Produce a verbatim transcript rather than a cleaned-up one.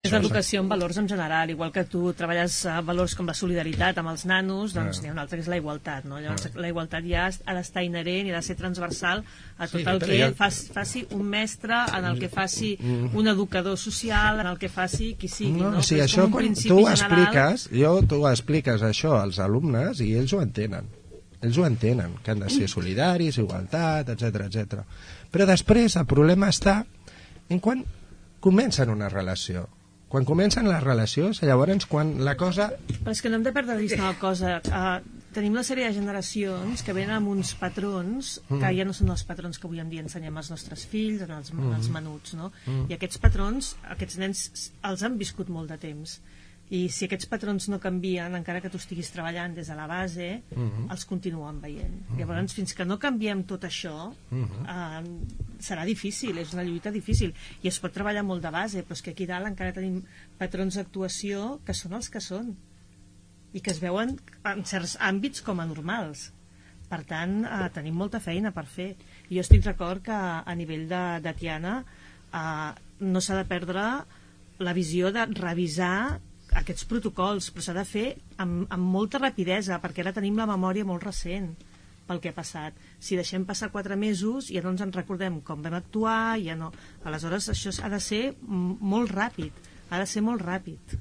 És l'educació en valors en general, igual que tu treballes valors com la solidaritat amb els nanos, doncs n'hi ha un altre que és la igualtat, no? Llavors la igualtat ja ha d'estar inherent i ha de ser transversal a tot el que faci un mestre, en el que faci un educador social, en el que faci qui sigui, no? Sí, això quan tu expliques, jo tu expliques això als alumnes i ells ho entenen. Ells ho entenen, que han de ser solidaris, igualtat, etcètera, etcètera. Però després el problema està en quan comencen una relació. Quan comencen les relacions, llavors quan la cosa... Però és que no hem de perdre de vista una cosa. Uh, tenim una sèrie de generacions que venen amb uns patrons que mm. ja no són els patrons que avui en dia ensenyem als nostres fills, als, mm. als menuts, no? Mm. I aquests patrons, aquests nens els han viscut molt de temps. I si aquests patrons no canvien, encara que tu estiguis treballant des de la base, uh-huh. els continuen veient. Uh-huh. Llavors, fins que no canviem tot això, uh-huh. eh, serà difícil, és una lluita difícil. I es pot treballar molt de base, però és que aquí dalt encara tenim patrons d'actuació que són els que són i que es veuen en certs àmbits com a normals. Per tant, eh, tenim molta feina per fer. I jo estic d'acord que a nivell de, de Tiana eh, no s'ha de perdre la visió de revisar aquests protocols, però s'ha de fer amb, amb molta rapidesa, perquè ara tenim la memòria molt recent pel que ha passat. Si deixem passar quatre mesos ja no ens en recordem com vam actuar, ja no. Aleshores això ha de ser molt ràpid, ha de ser molt ràpid.